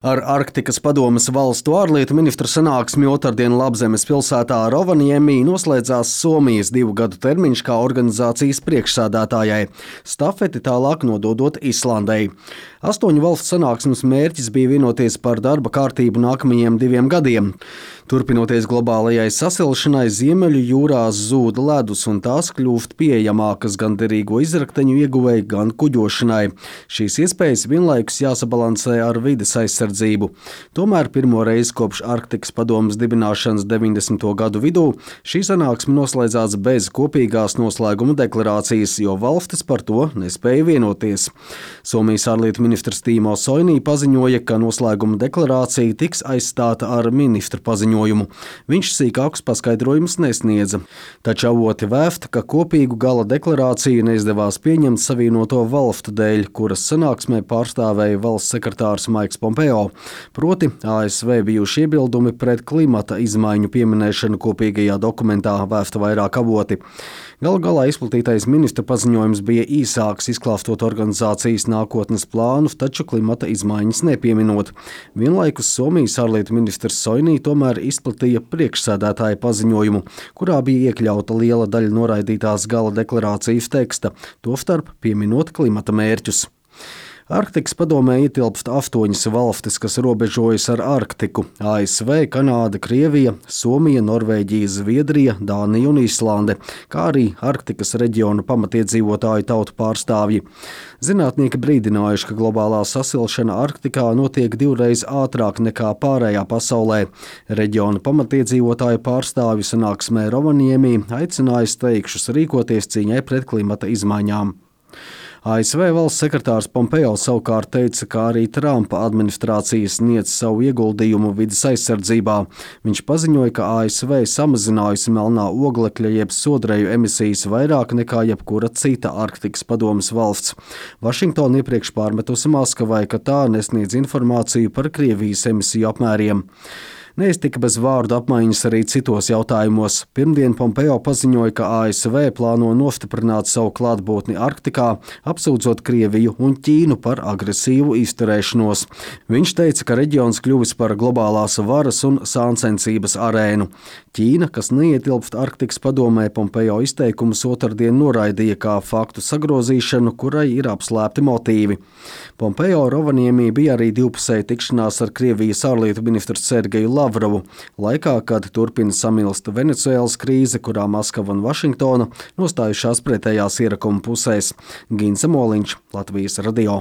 Ar Arktikas padomes valstu ārlietu ministru sanāksmi otrdien Labzemes pilsētā Rovaniemī noslēdzās Somijas 2 gadu termiņš kā organizācijas priekšsēdētājai, stafeti tālāk nododot Islandei. 8 valstu sanāksmes mērķis bija vienoties par darba kārtību nākamajiem 2 gadiem. Turpinoties globālajai sasilšanai, Ziemeļu jūrās zūd ledus un tās kļūst pieejamākas gan derīgo izrakteņu ieguvēji, gan kuģošanai. Šīs iespējas vienlaikus jāsabalansē ar vides aizsardzību. Tomēr pirmo reizi kopš Arktikas padomes dibināšanas 90. gadu vidū šī sanāksme noslēdzās bez kopīgās noslēguma deklarācijas, jo valstis par to nespēja vienoties. Somijas ārlietu ministrs Timo Soini paziņoja, ka noslēguma deklarācija tiks aizstāta ar ministru paziņojumu. Viņš sīkākus paskaidrojumus nesniedza, taču avoti vēft, ka kopīgu gala deklarāciju neizdevās pieņemt Savienoto valstu dēļ, kuras sanāksmē pārstāvēja valsts sekretārs Maiks Pompeo. Proti, ASV bijuši iebildumi pret klimata izmaiņu pieminēšanu kopīgajā dokumentā, vēsta vairāk avoti. Galu galā izplatītais ministra paziņojums bija īsāks, izklāstot organizācijas nākotnes plānus, taču klimata izmaiņas nepieminot. Vienlaikus Somijas ārlietu ministrs Soini tomēr izplatīja priekšsēdētāja paziņojumu, kurā bija iekļauta liela daļa noraidītās gala deklarācijas teksta, tostarp pieminot klimata mērķus. Arktikas padomē ietilpst 8 valstis, kas robežojas ar Arktiku – ASV, Kanāda, Krievija, Somija, Norvēģija, Zviedrija, Dānija un Islande, kā arī Arktikas reģiona pamatiedzīvotāju tautu pārstāvji. Zinātnieki brīdinājuši, ka globālā sasilšana Arktikā notiek 2 reizes ātrāk nekā pārējā pasaulē. Reģiona pamatiedzīvotāju pārstāvju sanāksmē Rovaniemī aicināja steigšus rīkoties cīņai pret klimata izmaiņām. ASV valsts sekretārs Pompeo savukārt teica, ka arī Trumpa administrācija sniedz savu ieguldījumu vides aizsardzībā. Viņš paziņoja, ka ASV samazinājusi melnā oglekļa jeb sodreju emisijas vairāk nekā jebkura cita Arktikas padomes valsts. Vašingtona iepriekš pārmetusi Maskavai, ka tā nesniedz informāciju par Krievijas emisiju apmēriem. Neiztika bez vārdu apmaiņas arī citos jautājumos. Pirmdien Pompeo paziņoja, ka ASV plāno nostiprināt savu klātbūtni Arktikā, apsūdzot Krieviju un Ķīnu par agresīvu izturēšanos. Viņš teica, ka reģions kļuvis par globālās varas un sāncensības arēnu. Ķīna, kas neietilpst Arktikas padomē, Pompeo izteikumus otrdien noraidīja kā faktu sagrozīšanu, kurai ir apslēpti motīvi. Pompeo Rovaniemī bija arī divpusēja tikšanās ar Krievijas ārlietu ministru Sergeju Lavrovu, laikā, kad turpina samilst Venecuēlas krīze, kurā Maskava un Vašingtona nostājušās pretējās ierakuma pusēs. Ginsa Moliņš, Latvijas radio.